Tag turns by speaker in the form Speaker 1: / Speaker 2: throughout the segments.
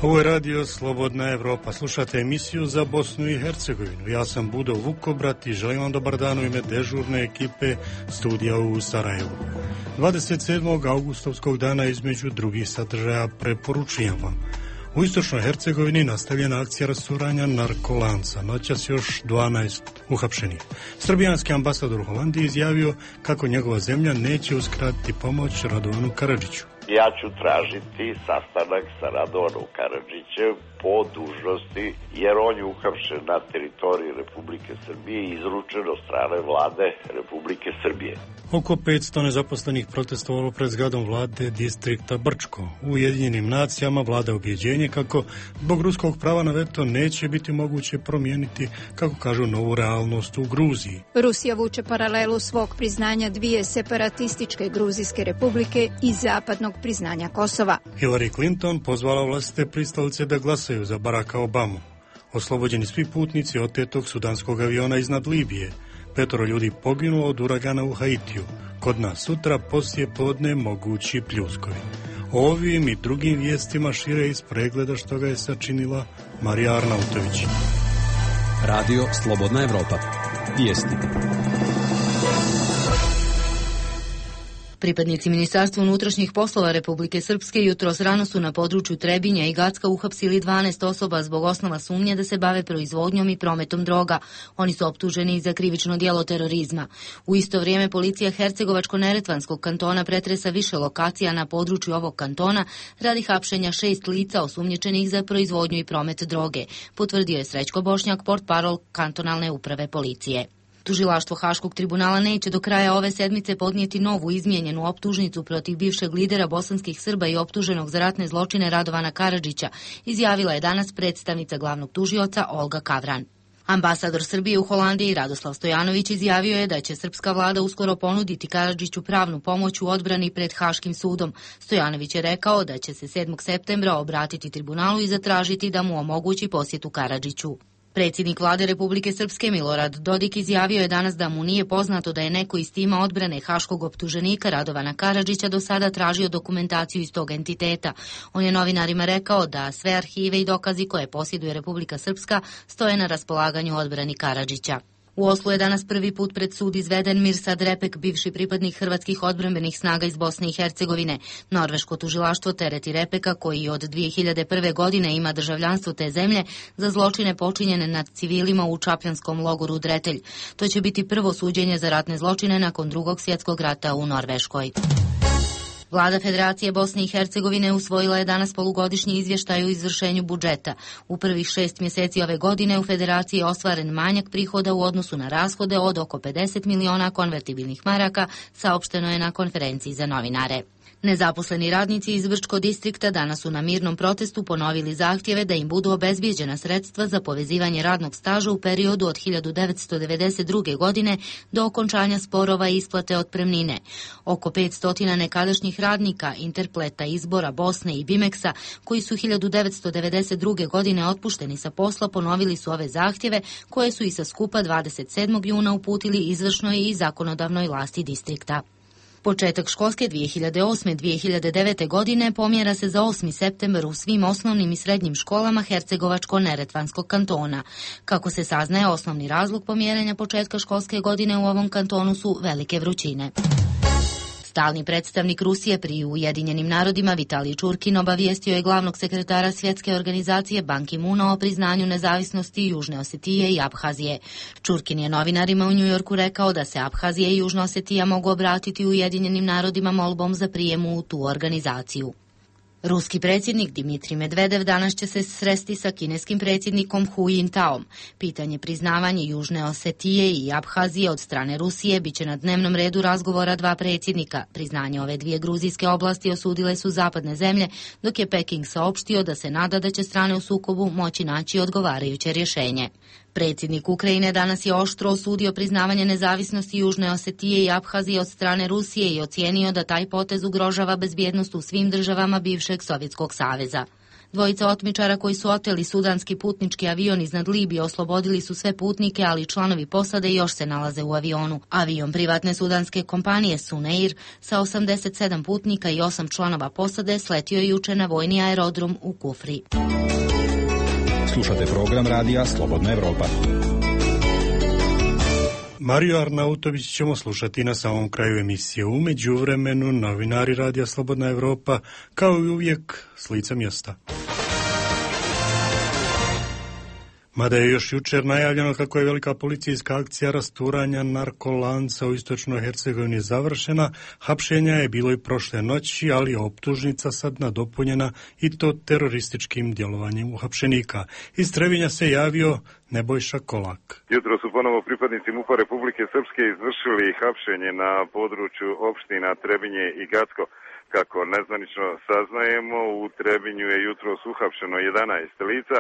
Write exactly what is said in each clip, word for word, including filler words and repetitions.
Speaker 1: Ovo je radio Slobodna Evropa. Slušate emisiju za Bosnu i Hercegovinu. Ja sam Budo Vukobrat i želim vam dobar dan u ime dežurne ekipe studija u Sarajevu. dvadeset sedmog augustovskog dana između drugih sadržaja preporučujem vam. U istočnoj Hercegovini nastavljena akcija rasturanja narkolanca. Noćas još dvanaest uhapšenih. Srbijanski ambasador u Holandiji izjavio kako njegova zemlja neće uskratiti pomoć Radovanu Karadžiću.
Speaker 2: Ja ću tražiti sastanak sa Radovanom Karadžićem po dužnosti, jer on je uhapšen na teritoriji Republike Srbije i izručen od strane vlade Republike Srbije.
Speaker 1: Oko petsto nezaposlenih protestovalo pred zgradom vlade distrikta Brčko. U Ujedinjenim nacijama vlada objeđenje kako zbog ruskog prava na veto neće biti moguće promijeniti, kako kažu, novu realnost u Gruziji.
Speaker 3: Rusija vuče paralelu svog priznanja dvije separatističke gruzijske republike i zapadnog priznanja Kosova.
Speaker 1: Hillary Clinton pozvala vlastite pristalice da glasaju za Baracka Obamu. Oslobođeni svi putnici otetog sudanskog aviona iznad Libije. Petoro ljudi poginulo od uragana u Haitiju. Kod nas sutra poslije podne mogući pljuskovi. O ovim i drugim vijestima šire iz pregleda što ga je sačinila Marija Arnautović.
Speaker 4: Radio Slobodna Evropa. Vijesti.
Speaker 5: Pripadnici Ministarstva unutrašnjih poslova Republike Srpske jutros rano su na području Trebinja i Gacka uhapsili dvanaest osoba zbog osnova sumnje da se bave proizvodnjom i prometom droga. Oni su optuženi za krivično djelo terorizma. U isto vrijeme policija Hercegovačko-neretvanskog kantona pretresa više lokacija na području ovog kantona radi hapšenja šest lica osumnjičenih za proizvodnju i promet droge, potvrdio je Srećko Bošnjak, portparol kantonalne uprave policije. Tužilaštvo Haškog tribunala neće do kraja ove sedmice podnijeti novu izmijenjenu optužnicu protiv bivšeg lidera bosanskih Srba i optuženog za ratne zločine Radovana Karadžića, izjavila je danas predstavnica glavnog tužioca Olga Kavran. Ambasador Srbije u Holandiji Radoslav Stojanović izjavio je da će srpska vlada uskoro ponuditi Karadžiću pravnu pomoć u odbrani pred Haškim sudom. Stojanović je rekao da će se sedmog septembra obratiti tribunalu i zatražiti da mu omogući posjetu Karadžiću. Predsjednik vlade Republike Srpske Milorad Dodik izjavio je danas da mu nije poznato da je neko iz tima odbrane haškog optuženika Radovana Karadžića do sada tražio dokumentaciju iz tog entiteta. On je novinarima rekao da sve arhive i dokazi koje posjeduje Republika Srpska stoje na raspolaganju odbrani Karadžića. U Oslu je danas prvi put pred sud izveden Mirsad Repek, bivši pripadnik hrvatskih odbrambenih snaga iz Bosne i Hercegovine. Norveško tužilaštvo tereti Repeka, koji od dvije hiljade prve. godine ima državljanstvo te zemlje, za zločine počinjene nad civilima u čapljanskom logoru Dretelj. To će biti prvo suđenje za ratne zločine nakon drugog svjetskog rata u Norveškoj. Vlada Federacije Bosne i Hercegovine usvojila je danas polugodišnji izvještaj o izvršenju budžeta. U prvih šest mjeseci ove godine u Federaciji je ostvaren manjak prihoda u odnosu na rashode od oko pedeset miliona konvertibilnih maraka, saopšteno je na konferenciji za novinare. Nezaposleni radnici iz Brčko distrikta danas su na mirnom protestu ponovili zahtjeve da im budu obezbijeđena sredstva za povezivanje radnog staža u periodu od hiljadu devetsto devedeset druge. godine do okončanja sporova i isplate otpremnine. Oko petsto nekadašnjih radnika Interpleta, Izbora, Bosne i Bimeksa, koji su hiljadu devetsto devedeset druge. godine otpušteni sa posla, ponovili su ove zahtjeve koje su i sa skupa dvadeset sedmog juna uputili izvršnoj i zakonodavnoj vlasti distrikta. Početak školske dvije hiljade osme dvije hiljade devete. godine pomjera se za osmi septembar u svim osnovnim i srednjim školama Hercegovačko-neretvanskog kantona. Kako se saznaje, osnovni razlog pomjerenja početka školske godine u ovom kantonu su velike vrućine. Stalni predstavnik Rusije pri Ujedinjenim narodima Vitalij Čurkin obavijestio je glavnog sekretara Svjetske organizacije Ban Ki-moona o priznanju nezavisnosti Južne Osetije i Abhazije. Čurkin je novinarima u Njujorku rekao da se Abhazija i Južna Osetija mogu obratiti Ujedinjenim narodima molbom za prijem u tu organizaciju. Ruski predsjednik Dimitrij Medvedev danas će se sresti sa kineskim predsjednikom Hu Jintaom. Pitanje priznavanja Južne Osetije i Abhazije od strane Rusije biće na dnevnom redu razgovora dva predsjednika. Priznanje ove dvije gruzijske oblasti osudile su zapadne zemlje, dok je Peking saopštio da se nada da će strane u sukobu moći naći odgovarajuće rješenje. Predsjednik Ukrajine danas je oštro osudio priznavanje nezavisnosti Južne Osetije i Abhazije od strane Rusije i ocijenio da taj potez ugrožava bezbjednost u svim državama bivšeg Sovjetskog saveza. Dvojica otmičara koji su oteli sudanski putnički avion iznad Libije oslobodili su sve putnike, ali članovi posade još se nalaze u avionu. Avion privatne sudanske kompanije Sunair sa osamdeset sedam putnika i osam članova posade sletio je juče na vojni aerodrom u Kufri.
Speaker 4: Slušate program radija Slobodna Evropa.
Speaker 1: Mariju Arnautović ćemo slušati na samom kraju emisije. U međuvremenu novinari radija Slobodna Evropa, kao i uvijek, s lica mjesta. Mada je još jučer najavljeno kako je velika policijska akcija rasturanja narkolanca u istočnoj Hercegovini završena, hapšenja je bilo i prošle noći, ali optužnica sad nadopunjena i to terorističkim djelovanjem uhapšenika. Iz Trebinja se javio Nebojša Kolak.
Speaker 6: Jutro su ponovo pripadnici MUP-a Republike Srpske izvršili hapšenje na području opština Trebinje i Gacko. Kako nezvanično saznajemo, u Trebinju je jutros uhapšeno jedanaest lica,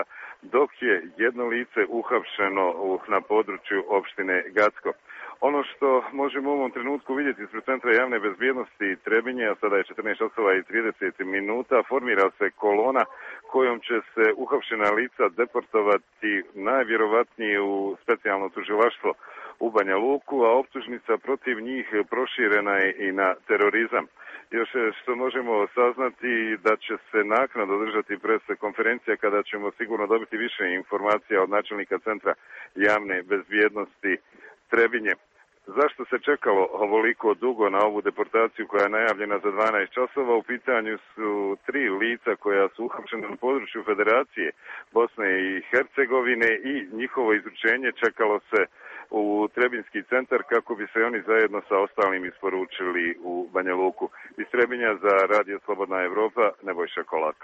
Speaker 6: dok je jedno lice uhapšeno na području opštine Gacko. Ono što možemo u ovom trenutku vidjeti ispred Centra javne bezbjednosti Trebinje, a sada je četrnaest časova i trideset minuta, formira se kolona kojom će se uhapšena lica deportovati najvjerovatnije u specijalno tužilaštvo u Banja Luku, a optužnica protiv njih proširena je i na terorizam. Još što možemo saznati da će se naknadno održati pres konferencija kada ćemo sigurno dobiti više informacija od načelnika Centra javne bezbjednosti Trebinje. Zašto se čekalo ovoliko dugo na ovu deportaciju koja je najavljena za dvanaest časova? U pitanju su tri lica koja su uhapšena na području Federacije Bosne i Hercegovine i njihovo izručenje čekalo se u Trebinski centar kako bi se oni zajedno sa ostalim isporučili u Banja Luku. Iz Trebinja za Radio Slobodna Evropa, Nebojša Kolak.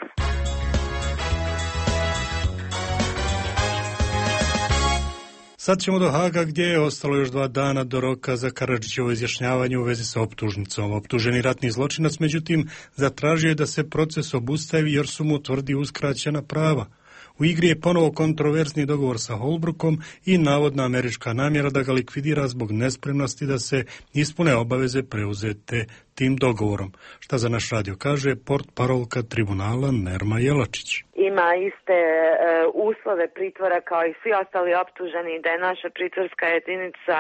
Speaker 1: Sad ćemo do Haga gdje je ostalo još dva dana do roka za Karadžićevo izjašnjavanje u vezi sa optužnicom. Optuženi ratni zločinac, međutim, zatražio je da se proces obustavi jer su mu tvrdi uskraćena prava. U igri je ponovo kontroverzni dogovor sa Holbrookom i navodna američka namjera da ga likvidira zbog nespremnosti da se ispune obaveze preuzete tim dogovorom. Šta za naš radio kaže portparolka tribunala Nerma Jelačić.
Speaker 7: Ima iste e, uslove pritvora kao i svi ostali optuženi, da je naša pritvorska jedinica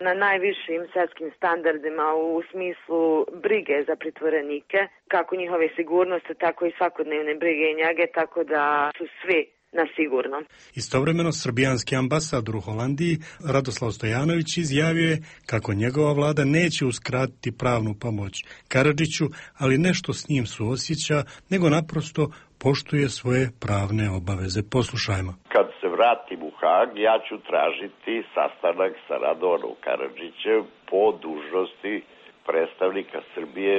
Speaker 7: na najvišim svjetskim standardima u smislu brige za pritvorenike, kako njihove sigurnosti, tako i svakodnevne brige i njege, tako da su svi na sigurno.
Speaker 1: Istovremeno, srbijanski ambasador u Holandiji Radoslav Stojanović izjavio je kako njegova vlada neće uskratiti pravnu pomoć Karadžiću, ali nešto s njim suosjeća, nego naprosto poštuje svoje pravne obaveze. Poslušajmo.
Speaker 2: Kad se vratim u Hag, ja ću tražiti sastanak sa Radovanom Karadžićem po dužnosti predstavnika Srbije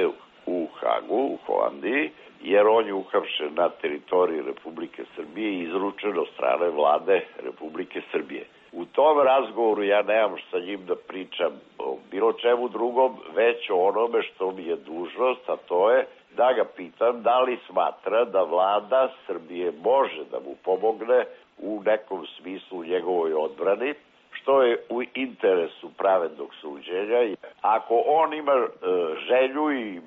Speaker 2: u Hagu, u Holandiji, jer on je uhapšen na teritoriji Republike Srbije i izručen od strane vlade Republike Srbije. U tom razgovoru ja nemam sa njim da pričam o bilo čemu drugom, već o onome što mi je dužnost, a to je da ga pitam da li smatra da vlada Srbije može da mu pomogne u nekom smislu u njegovoj odbrani, što je u interesu pravednog suđenja. Ako on ima e, želju i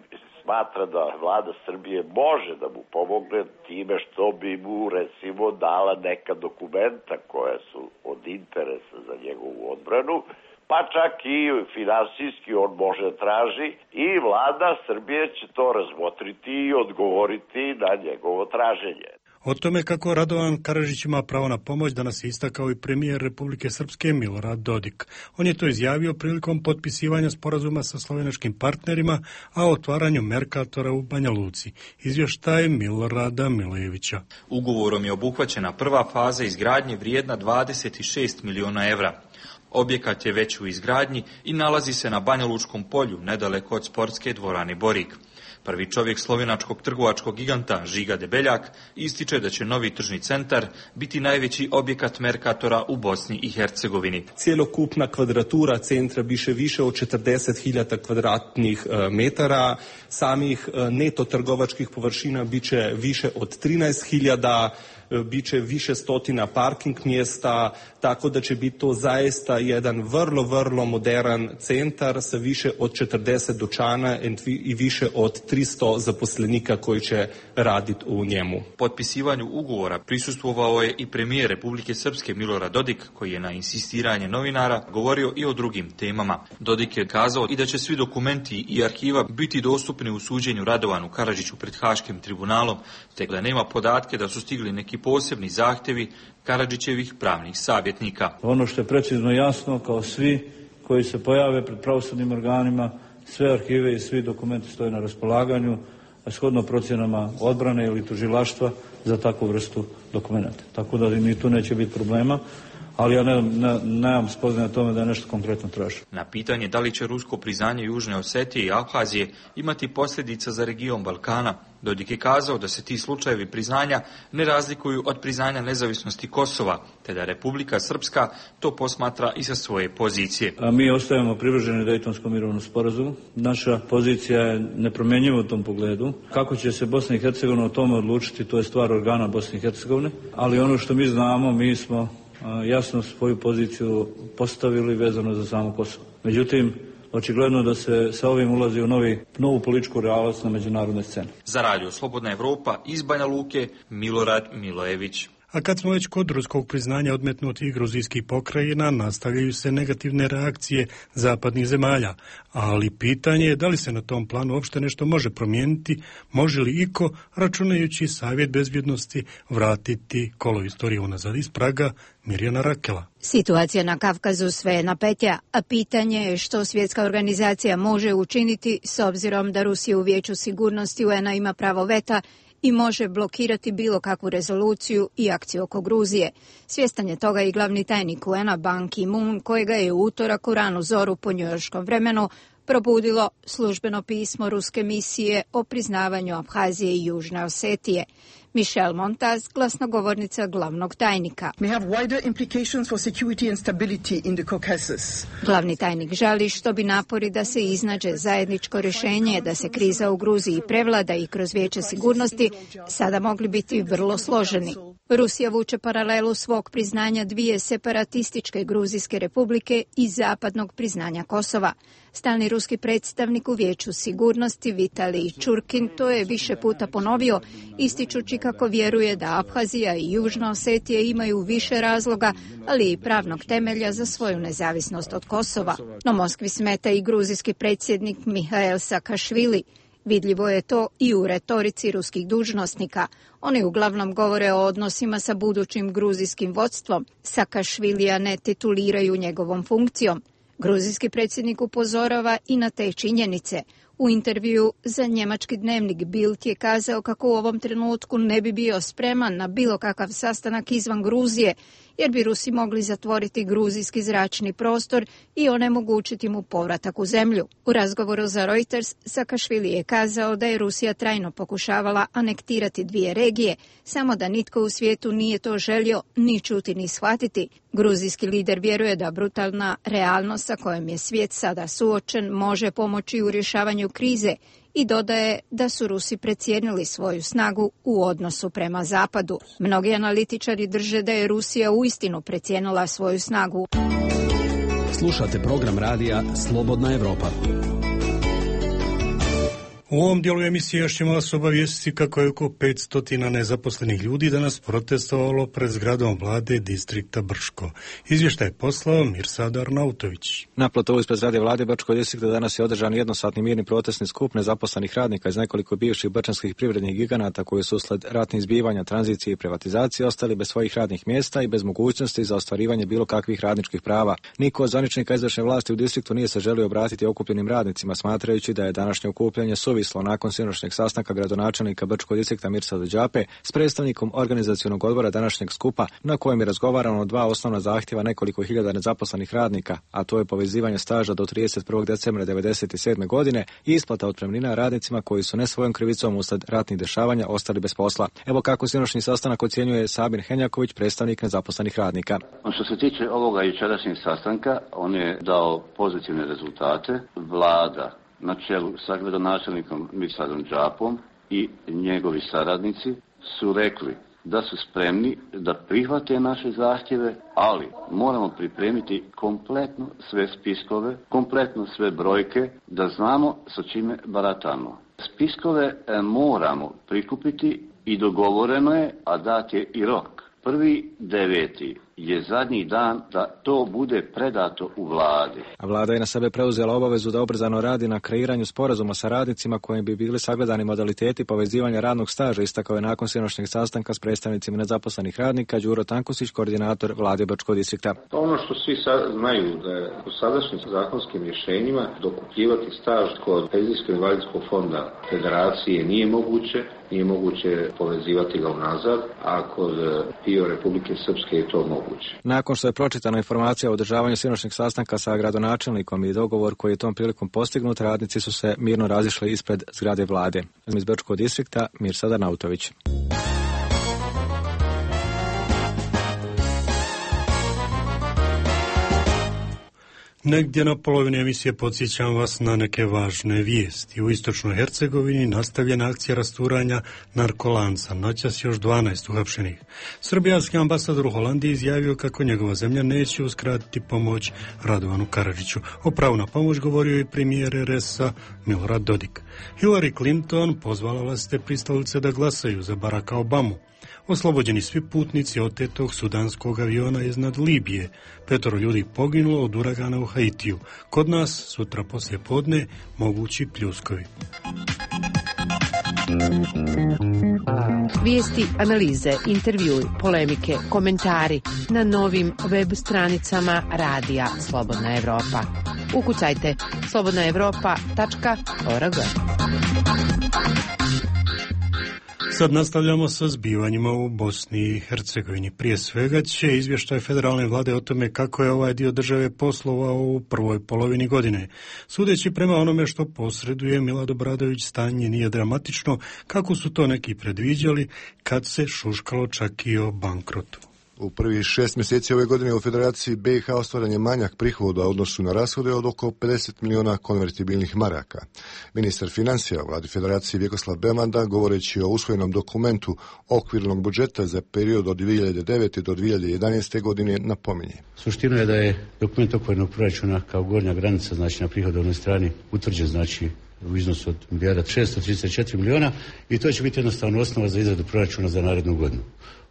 Speaker 2: smatra da vlada Srbije može da mu pomogne time što bi mu recimo dala neka dokumenta koja su od interesa za njegovu odbranu, pa čak i finansijski on može traži i vlada Srbije će to razmotriti i odgovoriti na njegovo traženje.
Speaker 1: O tome kako Radovan Karadžić ima pravo na pomoć danas je istakao i premijer Republike Srpske Milorad Dodik. On je to izjavio prilikom potpisivanja sporazuma sa slovenačkim partnerima, a o otvaranju Merkatora u Banja Luci. Izvještaj Milorada Milejevića.
Speaker 8: Ugovorom je obuhvaćena prva faza izgradnje vrijedna dvadeset šest miliona evra. Objekat je već u izgradnji i nalazi se na Banja Lučkom polju, nedaleko od sportske dvorane Borik. Prvi čovjek slovenačkog trgovačkog giganta Žiga Debeljak ističe da će novi tržni centar biti najveći objekat Merkatora u Bosni i Hercegovini.
Speaker 9: Cjelokupna kvadratura centra biše više od četrdeset hiljada kvadratnih metara, samih neto trgovačkih površina biće više od trinaest hiljada, biće više stotina parking mjesta, tako da će biti to zaista jedan vrlo, vrlo moderan centar sa više od četrdeset dućana i više od tristo zaposlenika koji će raditi u njemu.
Speaker 8: Potpisivanju ugovora prisustvovao je i premijer Republike Srpske Milorad Dodik, koji je na insistiranje novinara govorio i o drugim temama. Dodik je kazao i da će svi dokumenti i arhiva biti dostupni u suđenju Radovanu Karadžiću pred Haškim tribunalom, te da nema podatke da su stigli neki posebni zahtjevi Karadžićevih pravnih savjetnika.
Speaker 10: Ono što je precizno jasno, kao svi koji se pojave pred pravosudnim organima, sve arhive i svi dokumenti stoje na raspolaganju, a shodno procjenama odbrane ili tužilaštva za takvu vrstu dokumenta. Tako da ni tu neće biti problema. Ali ja ne, ne, nemam spoznaje o tome da je nešto konkretno traži.
Speaker 8: Na pitanje da li će rusko priznanje Južne Osetije i Abhazije imati posljedica za region Balkana, Dodik je kazao da se ti slučajevi priznanja ne razlikuju od priznanja nezavisnosti Kosova, te da Republika Srpska to posmatra i sa svoje pozicije.
Speaker 10: A mi ostajemo privrženi Dejtonskom mirovnom sporazumu. Naša pozicija je nepromjenjiva u tom pogledu. Kako će se Bosna i Hercegovina o tome odlučiti, to je stvar organa Bosne i Hercegovine, ali ono što mi znamo, mi smo jasno svoju poziciju postavili vezano za samo Kosovo. Međutim, očigledno da se sa ovim ulazi u novi, novu političku realnost na međunarodnoj sceni.
Speaker 8: Za Radio Slobodna Evropa iz Banja Luke, Milorad Milojević.
Speaker 1: A kad smo već kod ruskog priznanja odmetnutih gruzijskih pokrajina, nastavljaju se negativne reakcije zapadnih zemalja, ali pitanje je da li se na tom planu uopšte nešto može promijeniti, može li iko, računajući Savjet bezbjednosti, vratiti kolo istorije unazad. Iz Praga, Mirjana Rakela.
Speaker 3: Situacija na Kavkazu sve je napetja, a pitanje je što svjetska organizacija može učiniti s obzirom da Rusija u Vijeću sigurnosti U N-a ima pravo veta i može blokirati bilo kakvu rezoluciju i akciju oko Gruzije. Svjestan je toga i glavni tajnik U N-a Ban Ki-moon, kojega je u utorak u ranu zoru po njujorškom vremenu probudilo službeno pismo ruske misije o priznavanju Abhazije i Južne Osetije. Michelle Montaz, glasnogovornica glavnog tajnika. Glavni tajnik žali što bi napori da se iznađe zajedničko rješenje, da se kriza u Gruziji prevlada i kroz Vijeće sigurnosti sada mogli biti vrlo složeni. Rusija vuče paralelu svog priznanja dvije separatističke gruzijske republike i zapadnog priznanja Kosova. Stalni ruski predstavnik u Vijeću sigurnosti Vitalij Čurkin to je više puta ponovio, ističući kako vjeruje da Abhazija i Južna Osetija imaju više razloga, ali i pravnog temelja za svoju nezavisnost od Kosova. No Moskvi smeta i gruzijski predsjednik Mihail Sakašvili. Vidljivo je to i u retorici ruskih dužnosnika. Oni uglavnom govore o odnosima sa budućim gruzijskim vodstvom. Sakašvilija ne tituliraju njegovom funkcijom. Gruzijski predsjednik upozorava i na te činjenice. U intervju za njemački dnevnik Bild je kazao kako u ovom trenutku ne bi bio spreman na bilo kakav sastanak izvan Gruzije, jer bi Rusi mogli zatvoriti gruzijski zračni prostor i onemogućiti mu povratak u zemlju. U razgovoru za Reuters, Sakašvili je kazao da je Rusija trajno pokušavala anektirati dvije regije, samo da nitko u svijetu nije to želio ni čuti ni shvatiti. Gruzijski lider vjeruje da brutalna realnost sa kojom je svijet sada suočen može pomoći u rješavanju krize i dodaje da su Rusi precijenili svoju snagu u odnosu prema Zapadu. Mnogi analitičari drže da je Rusija uistinu precijenila svoju snagu.
Speaker 4: Slušate program radija Slobodna Evropa.
Speaker 1: U ovom dijelu emisije još ćemo vas obavijestiti kako je oko petsto nezaposlenih ljudi danas protestovalo pred zgradom vlade distrikta Brčko. Izvještaj je poslao Mirsad Arnautović.
Speaker 11: Na platovu ispred zgrade vlade Brčkog distrikta danas je održan jednosatni mirni protestni skup nezaposlenih radnika iz nekoliko bivših brčanskih privrednih giganata koji su usled ratnih zbivanja, tranzicije i privatizacije ostali bez svojih radnih mjesta i bez mogućnosti za ostvarivanje bilo kakvih radničkih prava. Niko od zvaničnika izvršne vlasti u distriktu nije se želio obratiti okupljenim radnicima, smatrajući da je današnje okupljanje suvislo nakon sinoćnjeg sastanka gradonačelnika Brčkog distrikta Mirsada Đape s predstavnikom organizacionog odbora današnjeg skupa, na kojem je razgovarano o dva osnovna zahtjeva nekoliko hiljada nezaposlenih radnika, a to je povezivanje staža do trideset prvog decembra devedeset sedme godine i isplata otpremnina radnicima koji su ne svojom krivicom uslijed ratnih dešavanja ostali bez posla. Evo kako sinoćni sastanak ocjenjuje Sabir Henjaković, predstavnik nezaposlenih radnika.
Speaker 12: Što se tiče ovoga jučerašnjeg sastanka, on je dao pozitivne rezultate. Vlada na čelu sa gradonačelnikom Mirsadom Đapom i njegovi saradnici su rekli da su spremni da prihvate naše zahtjeve, ali moramo pripremiti kompletno sve spiskove, kompletno sve brojke, da znamo sa čime baratamo. Spiskove moramo prikupiti i dogovoreno je, a dat je i rok. Prvi deveti je zadnji dan da to bude predato u vladi.
Speaker 11: A vlada je na sebe preuzela obavezu da ubrzano radi na kreiranju sporazuma sa radnicima kojim bi bili sagledani modaliteti povezivanja radnog staža, istakao je nakon sinoćnjeg sastanka s predstavnicima nezaposlenih radnika Đuro Tankusić, koordinator vlade Bačkog distrikta.
Speaker 13: Ono što svi sad znaju da je u sadašnjim zakonskim rješenjima dokupljivati staž kod penzijsko-invalidskog fonda federacije nije moguće, nije moguće povezivati ga unazad, a kod P I O Republike Srpske je to moguće.
Speaker 11: Nakon što je pročitana informacija o održavanju sinoćnjeg sastanka sa gradonačelnikom i dogovor koji je tom prilikom postignut, radnici su se mirno razišli ispred zgrade vlade. Iz Bačkog distrikta Mirsada Nautović.
Speaker 1: Negdje na polovini emisije podsjećam vas na neke važne vijesti. U istočnoj Hercegovini nastavljena akcija rasturanja narkolanca. Noćas još dvanaest uhapšenih. Srbijanski ambasador u Holandiji izjavio kako njegova zemlja neće uskratiti pomoć Radovanu Karadžiću. O pravu na pomoć govorio i premijer R S-a Milorad Dodik. Hillary Clinton pozvala vlastite pristalice da glasaju za Baracka Obamu. Oslobođeni svi putnici otetog sudanskog aviona iznad Libije. Petoro ljudi poginulo od uragana u Haitiju. Kod nas sutra poslije podne mogući pljuskovi.
Speaker 14: Vijesti, analize, intervjui, polemike, komentari na novim web stranicama Radija Slobodna Evropa. Ukucajte slobodna evropa tačka org.
Speaker 1: Sad nastavljamo sa zbivanjima u Bosni i Hercegovini. Prije svega će izvještaj federalne vlade o tome kako je ovaj dio države poslovao u prvoj polovini godine. Sudeći prema onome što posreduje Milad Obradović, stanje nije dramatično, kako su to neki predviđali kad se šuškalo čak i o bankrotu.
Speaker 15: U prvih šest mjeseci ove godine u Federaciji B i H ostvaren je manjak prihoda u odnosu na rashode od oko pedeset miliona konvertibilnih maraka. Ministar financija u vladi Federacije Vjekoslav Bemanda, govoreći o usvojenom dokumentu okvirnog budžeta za period od dvije hiljade devete do dvije hiljade jedanaeste godine, napominje.
Speaker 16: Suština je da je dokument okvirnog proračuna kao gornja granica, znači na prihodovnoj strani, utvrđen znači u iznosu od milijarda šesto trideset četiri miliona i to će biti jednostavno osnova za izradu proračuna za narednu godinu.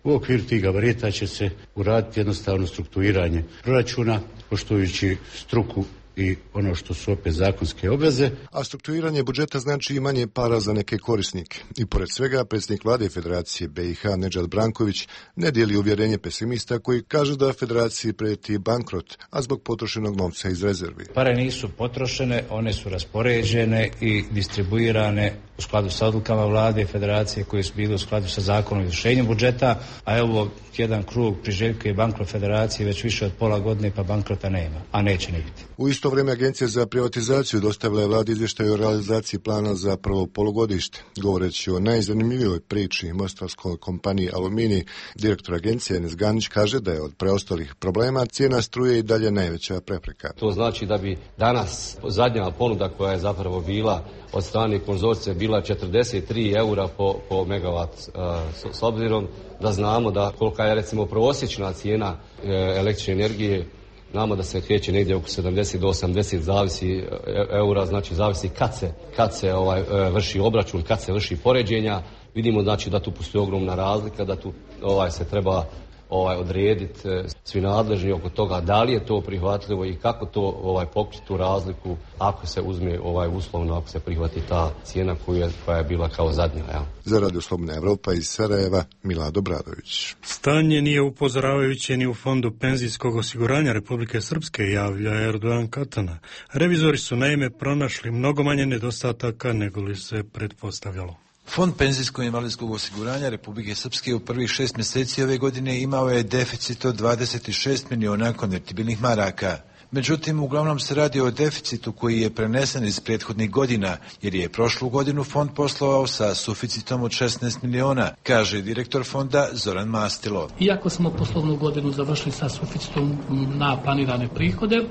Speaker 16: U okviru tih gabarita će se uraditi jednostavno strukturiranje proračuna, poštujući struku i ono što su opet zakonske obveze.
Speaker 15: A strukturiranje budžeta znači i manje para za neke korisnike. I pored svega, predsjednik vlade Federacije B i H Nedžad Branković ne dijeli uvjerenje pesimista koji kaže da Federaciji prijeti bankrot, a zbog potrošenog novca iz rezervi.
Speaker 17: Pare nisu potrošene, one su raspoređene i distribuirane u skladu sa odlukama vlade i Federacije koje su bile u skladu sa zakonom o izvršenju budžeta, a evo jedan krug priželjkuje bankrot Federacije već više od pola godine, pa bankrota nema, a neće ni biti.
Speaker 15: U isto vrijeme Agencija za privatizaciju dostavila je vladi izvještaj o realizaciji plana za prvo polugodište. Govoreći o najzanimljivijoj priči mostarskoj kompaniji Aluminij, direktor agencije Enes Ganić kaže da je od preostalih problema cijena struje i dalje najveća prepreka.
Speaker 18: To znači da bi danas zadnja ponuda koja je zapravo bila od strane konzorcija bila četrdeset tri eura po, po megavat, uh, s obzirom da znamo da kolika je recimo prosječna cijena uh, električne energije, znamo da se kreće negdje oko sedamdeset do osamdeset zavisi eura, znači zavisi kad se, kad se ovaj, vrši obračun, kad se vrši poređenja. Vidimo znači da tu postoji ogromna razlika, da tu ovaj, se treba ovaj, odrediti svi nadležni oko toga da li je to prihvatljivo i kako to ovaj, pokriti tu razliku ako se uzme ovaj, uslovno, ako se prihvati ta cijena koja je, koja je bila kao zadnja. Ja.
Speaker 15: Za Radio Slobodna Evropa iz Sarajeva, Milad Obradović.
Speaker 1: Stanje nije upozoravajuće ni u Fondu penzijskog osiguranja Republike Srpske, javlja Erdogan Katana. Revizori su naime pronašli mnogo manje nedostataka nego li se pretpostavljalo.
Speaker 19: Fond penzijsko-invalidskog osiguranja Republike Srpske u prvih šest mjeseci ove godine imao je deficit od dvadeset šest miliona konvertibilnih maraka. Međutim, uglavnom se radi o deficitu koji je prenesen iz prethodnih godina, jer je prošlu godinu fond poslovao sa suficitom od šesnaest miliona, kaže direktor fonda Zoran Mastilo.
Speaker 20: Iako smo poslovnu godinu završili sa suficitom na planirane prihode,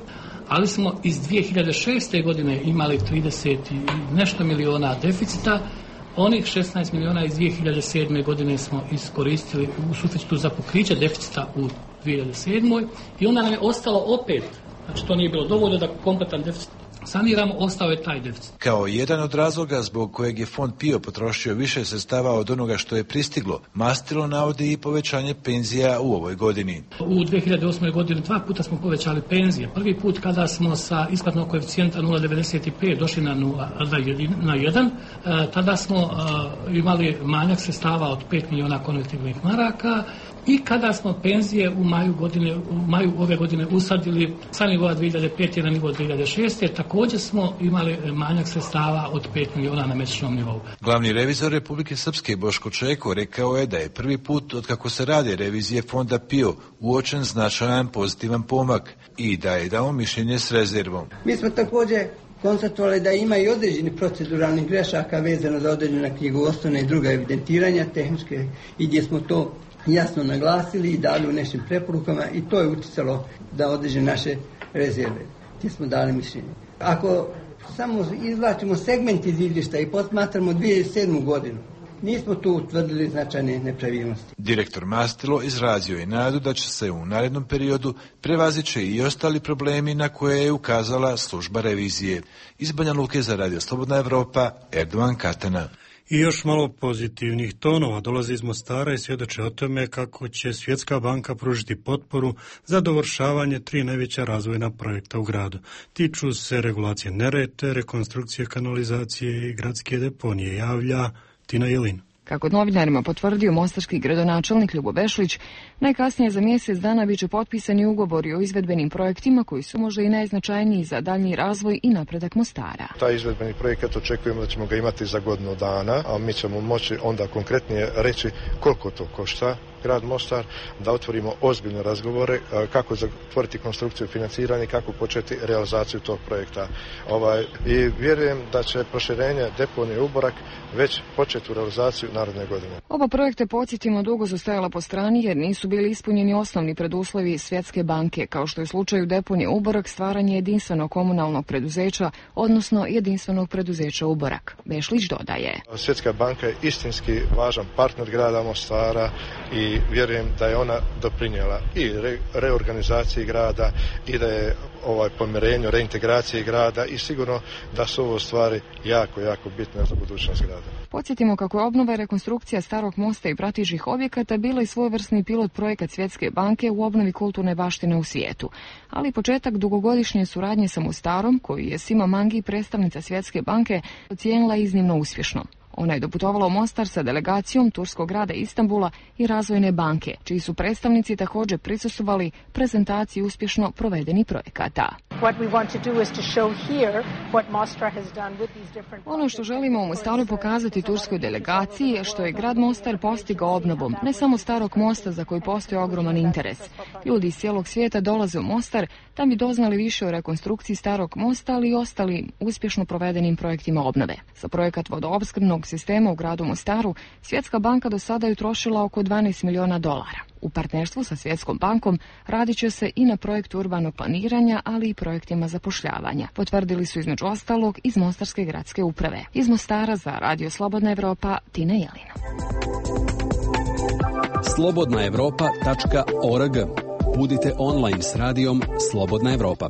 Speaker 20: ali smo iz dvije hiljade šeste. godine imali trideset nešto miliona deficita, Onih šesnaest miliona iz dvije hiljade sedme. godine smo iskoristili u suficitu za pokriće deficita u dvije hiljade sedmoj. i onda nam je ostalo opet, znači to nije bilo dovoljno da kompletan deficit saniramo, ostao je taj deficit.
Speaker 19: Kao jedan od razloga zbog kojeg je Fond P I O potrošio više sredstava od onoga što je pristiglo, Mastilo navodi i povećanje penzija u ovoj godini.
Speaker 20: U dvije hiljade osmoj. godini dva puta smo povećali penzije. Prvi put kada smo sa isplatnog koeficijenta nula zarez devedeset pet došli na, nula, na jedan, tada smo imali manjak sredstava od pet miliona konvertibilnih maraka. I kada smo penzije u maju, godine, u maju ove godine usadili sa nivoa dvije hiljade pete. na nivo dvije hiljade šeste. također smo imali manjak sredstava od pet miliona na mjesečnom nivou.
Speaker 19: Glavni revizor Republike Srpske Boško Čeko rekao je da je prvi put od kako se rade revizije Fonda P I O uočen značajan pozitivan pomak i da je dao mišljenje s rezervom.
Speaker 21: Mi smo također konstatovali da ima i određeni proceduralnih grešaka vezano za određena knjigovodstvena i druga evidentiranja tehničke i gdje smo to jasno naglasili i dali u našim preporukama i to je utjecalo da određene naše rezerve. Gdje smo dali mišljenje. Ako samo izvlačimo segment iz izvještaja i posmatramo dvije hiljade sedmu. godinu, nismo tu utvrdili značajne nepravilnosti.
Speaker 19: Direktor Mastilo izrazio je nadu da će se u narednom periodu prevazići i ostali problemi na koje je ukazala služba revizije. Iz Banja Luke za Radio Slobodna Evropa, Erdovan Katana.
Speaker 1: I još malo pozitivnih tonova dolazi iz Mostara i svjedoče o tome kako će Svjetska banka pružiti potporu za dovršavanje tri najveća razvojna projekta u gradu. Tiču se regulacije Neretve, rekonstrukcije kanalizacije i gradske deponije, javlja Tina Jelin.
Speaker 22: Kako novinarima potvrdio mostarski gradonačelnik Ljubo Bešlić, najkasnije za mjesec dana biće potpisani ugovori o izvedbenim projektima koji su možda i najznačajniji za daljnji razvoj i napredak Mostara.
Speaker 23: Taj izvedbeni projekat očekujemo da ćemo ga imati za godinu dana, a mi ćemo moći onda konkretnije reći koliko to košta grad Mostar, da otvorimo ozbiljne razgovore kako zatvoriti konstrukciju financiranja i kako početi realizaciju tog projekta. Ovaj, I vjerujem da će proširenje deponije Uborak već početi u realizaciju naredne godine.
Speaker 22: Oba projekte, podsjetimo, dugo su stajala po strani jer nisu bili ispunjeni osnovni preduslovi Svjetske banke, kao što je u slučaju deponije Uborak stvaranje jedinstvenog komunalnog preduzeća, odnosno jedinstvenog preduzeća Uborak. Bešlić dodaje.
Speaker 23: Svjetska banka je istinski važan partner grada Mostara i vjerujem da je ona doprinijela i re, reorganizaciji grada i da je ovaj pomirenju, reintegraciji grada i sigurno da su ovo stvari jako, jako bitne za budućnost grada.
Speaker 22: Podsjetimo kako je obnova i rekonstrukcija Starog mosta i pratećih objekata bila i svojevrsni pilot projekat Svjetske banke u obnovi kulturne baštine u svijetu, ali početak dugogodišnje suradnje sa Mostarom, koju je Sima Mangi, predstavnica Svjetske banke, ocijenila iznimno uspješno. Ona je doputovala u Mostar sa delegacijom turskog grada Istanbula i Razvojne banke, čiji su predstavnici također prisustvovali prezentaciji uspješno provedenih projekata. Ono što želimo u Mostaru pokazati turskoj delegaciji je što je grad Mostar postigao obnovom ne samo Starog mosta za koji postoji ogroman interes. Ljudi iz cijelog svijeta dolaze u Mostar da bi doznali više o rekonstrukciji Starog mosta, ali i ostali uspješno provedenim projektima obnove. Za projekat vodoopskrbnog sistema u gradu Mostaru Svjetska banka do sada je utrošila oko dvanaest miliona dolara. U partnerstvu sa Svjetskom bankom radit će se i na projektu urbanog planiranja, ali i projektima zapošljavanja, potvrdili su između ostalog iz Mostarske gradske uprave. Iz Mostara za Radio Slobodna Evropa, Tina Jelina.
Speaker 4: slobodna evropa tačka org. Budite online s radijom Slobodna Evropa.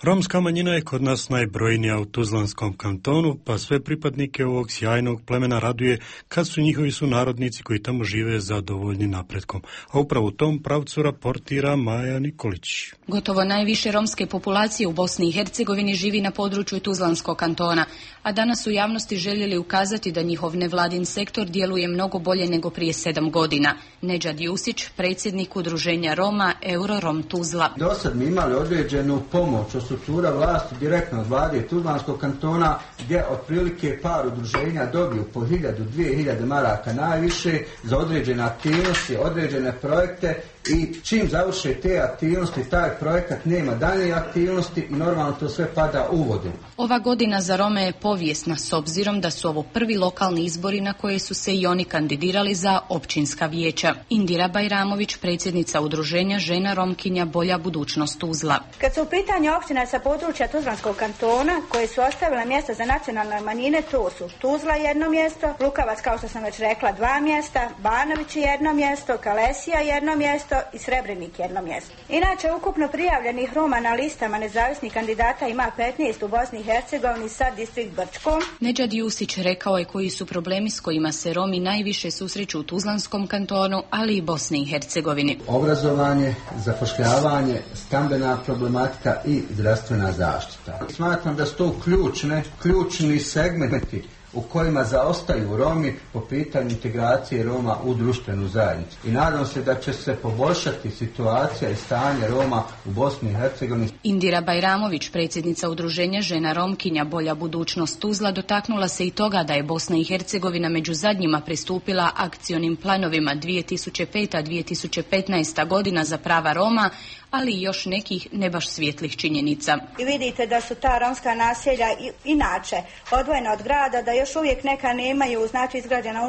Speaker 1: Romska manjina je kod nas najbrojnija u Tuzlanskom kantonu, pa sve pripadnike ovog sjajnog plemena raduje kad su njihovi sunarodnici koji tamo žive zadovoljni napretkom. A upravo u tom pravcu raportira Maja Nikolić.
Speaker 24: Gotovo najviše romske populacije u Bosni i Hercegovini živi na području Tuzlanskog kantona, a danas u javnosti željeli ukazati da njihov nevladin sektor djeluje mnogo bolje nego prije sedam godina. Nedžad Jusić, predsjednik udruženja Roma Eurorom Tuzla.
Speaker 25: Do sad mi imali određenu pomoć od struktura vlasti direktno od vlade Tuzlanskog kantona, gdje otprilike par udruženja dobiju po hiljadu, dvije hiljade maraka najviše za određene aktivnosti, određene projekte i čim završe te aktivnosti, taj projekat nema dalje aktivnosti i normalno to sve pada u vodu.
Speaker 24: Ova godina za Rome je povijesna s obzirom da su ovo prvi lokalni izbori na koje su se i oni kandidirali za općinska vijeća. Indira Bajramović, predsjednica udruženja Žena Romkinja Bolja budućnost Tuzla.
Speaker 2: Kad su u pitanju općina sa područja Tuzlanskog kantona koje su ostavile mjesta za nacionalne manjine, to su Tuzla jedno mjesto, Lukavac kao što sam već rekla dva mjesta, Banović jedno mjesto, Kalesija jedno mjesto i Srebrenik jedno mjesto. Inače, ukupno prijavljenih Roma na listama nezavisnih kandidata ima petnaest u Bosni i Hercegovini sa distrikt Brčkom.
Speaker 24: Nedžad Jusić rekao je koji su problemi s kojima se Romi najviše susreću u Tuzlanskom kantonu, ali i Bosni i Hercegovini.
Speaker 25: Obrazovanje, zapošljavanje, stambena problematika i zdravstvena zaštita. Smatram da su to ključne, ključni segmenti u kojima zaostaju Romi po pitanju integracije Roma u društvenu zajednicu. I nadam se da će se poboljšati situacija i stanje Roma u Bosni i Hercegovini.
Speaker 24: Indira Bajramović, predsjednica udruženja Žena Romkinja Bolja budućnost Tuzla, dotaknula se i toga da je Bosna i Hercegovina među zadnjima pristupila akcionim planovima dvije tisuće peta do dvije tisuće petnaesta godina za prava Roma, ali i još nekih ne baš svijetlih činjenica.
Speaker 2: I vidite da su ta romska naselja inače odvojena od grada, da još uvijek neka nemaju znači izgrađenu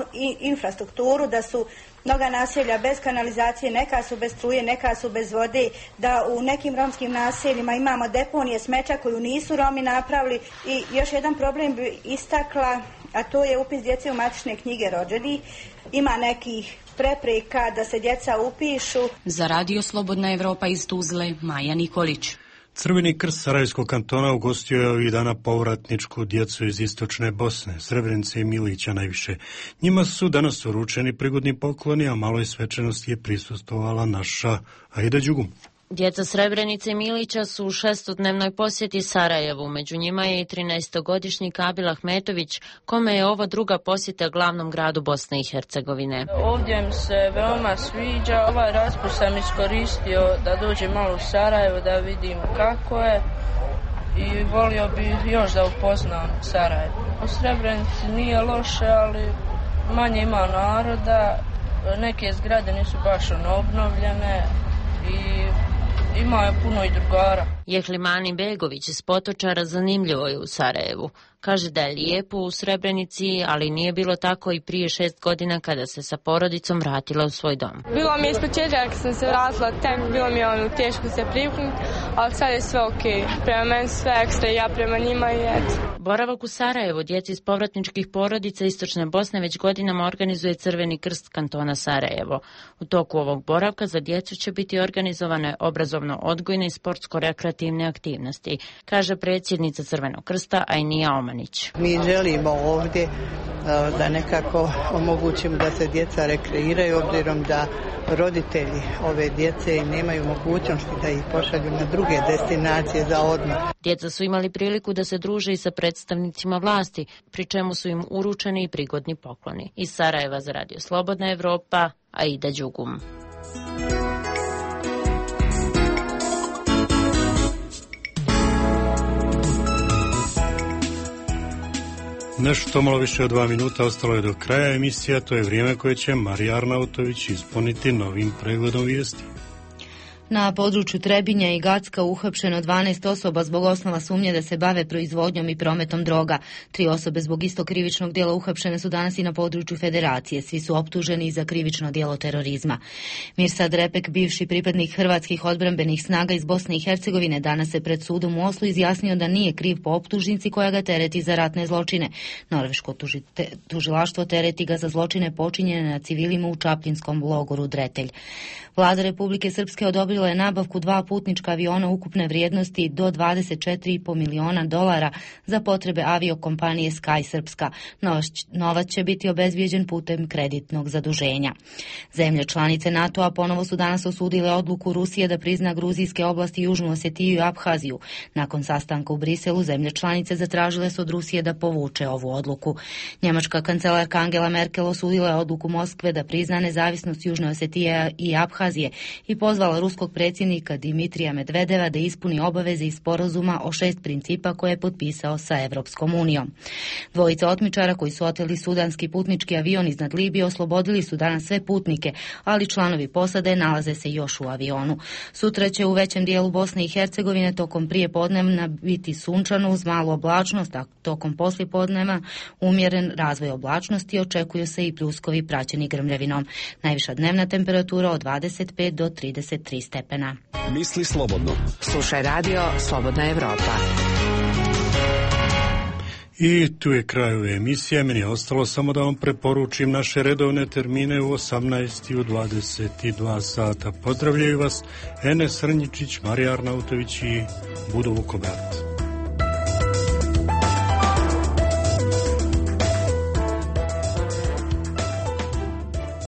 Speaker 2: infrastrukturu, da su mnoga naselja bez kanalizacije, neka su bez struje, neka su bez vode, da u nekim romskim naseljima imamo deponije smeća koju nisu Romi napravili. I još jedan problem bi istakla, a to je upis djece u matične knjige rođenih. Ima nekih prepreka da se djeca upišu.
Speaker 24: Za Radio Slobodna Evropa iz Tuzle, Maja Nikolić.
Speaker 1: Crveni krst Sarajevskog kantona ugostio je ovih dana povratničku djecu iz istočne Bosne, Srebrenice i Milića najviše. Njima su danas uručeni prigodni pokloni, a maloj svečanosti je prisustvovala naša Aida Đugum.
Speaker 5: Djeca Srebrenice i Milića su u šestodnevnoj posjeti Sarajevu. Među njima je i trinaestogodišnji Kabil Ahmetović, kome je ovo druga posjeta glavnom gradu Bosne i Hercegovine.
Speaker 6: Ovdje mi se veoma sviđa. Ovaj raspust sam iskoristio da dođem malo u Sarajevo, da vidim kako je i volio bih još da upoznam Sarajevo. U Srebrenici nije loše, ali manje ima naroda. Neke zgrade nisu baš ono obnovljene i ima je puno i drugara.
Speaker 5: Jehlimani Begović iz Potočara zanimljivo je u Sarajevu. Kaže da je lijepo u Srebrenici, ali nije bilo tako i prije šest godina kada se sa porodicom vratila u svoj dom.
Speaker 7: Bilo mi je ispočetka kad sam se vratila tek, bilo mi je ono teško se privuknuti, ali sad je sve ok. Prema meni sve ekstra i ja prema njima i eto.
Speaker 5: Boravak u Sarajevu djeci iz povratničkih porodica Istočne Bosne već godinama organizuje Crveni krst kantona Sarajevo. U toku ovog boravka za djecu će biti organizovane obrazovno-odgojne i sportsko-rekreativne aktivnosti, kaže predsjednica Crvenog krsta Ajnija Oman.
Speaker 9: Mi želimo ovdje da nekako omogućimo da se djeca rekreiraju, obzirom da roditelji ove djece nemaju mogućnosti da ih pošalju na druge destinacije za odmor.
Speaker 5: Djeca su imali priliku da se druže i sa predstavnicima vlasti, pri čemu su im uručeni i prigodni pokloni. Iz Sarajeva za Radio Slobodna Evropa, Aida Đugum.
Speaker 1: Nešto malo više od dva minuta ostalo je do kraja emisija, to je vrijeme koje će Marija Arnautović ispuniti novim pregledom vijesti.
Speaker 26: Na području Trebinja i Gacka uhapšeno dvanaest osoba zbog osnova sumnje da se bave proizvodnjom i prometom droga. Tri osobe zbog istog krivičnog djela uhapšene su danas i na području Federacije. Svi su optuženi za krivično djelo terorizma. Mirsad Repek, bivši pripadnik hrvatskih odbrambenih snaga iz Bosne i Hercegovine, danas se pred sudom u Oslu izjasnio da nije kriv po optužnici koja ga tereti za ratne zločine. Norveško tuži, te, tužilaštvo tereti ga za zločine počinjene na civilima u čapljinskom logoru Dretelj. Vlada Republike Srpske odobrila je nabavku dva putnička aviona ukupne vrijednosti do dvadeset četiri i po miliona dolara za potrebe aviokompanije Sky Srpska. Novac će biti obezbijeđen putem kreditnog zaduženja. Zemlje članice NATO-a ponovo su danas osudile odluku Rusije da prizna gruzijske oblasti Južnu Osetiju i Abhaziju. Nakon sastanka u Briselu, zemlje članice zatražile su od Rusije da povuče ovu odluku. Njemačka kancelarka Angela Merkel osudila je odluku Moskve da prizna nezavisnost Južne Osetije i Abhazije i pozvala rusko ruskog predsjednika Dimitrija Medvedeva da ispuni obaveze iz sporazuma o šest principa koje je potpisao sa Evropskom unijom. Dvojica otmičara koji su oteli sudanski putnički avion iznad Libije oslobodili su danas sve putnike, ali članovi posade nalaze se još u avionu. Sutra će u većem dijelu Bosne i Hercegovine tokom prije podnevna biti sunčano uz malu oblačnost, a tokom poslijepodneva umjeren razvoj oblačnosti, očekuju se i pljuskovi praćeni grmljavinom. Najviša dnevna temperatura od dvadeset pet do trideset tri stepena.
Speaker 4: Misli slobodno.
Speaker 14: Slušaj radio Slobodna Evropa.
Speaker 1: I tu je kraj ove emisije. Meni je ostalo samo da vam preporučim naše redovne termine u osamnaest i u dvadeset dva sata. Pozdravljaju vas Enes Srnjičić, Marija Arnautović i Budo Vukobrat.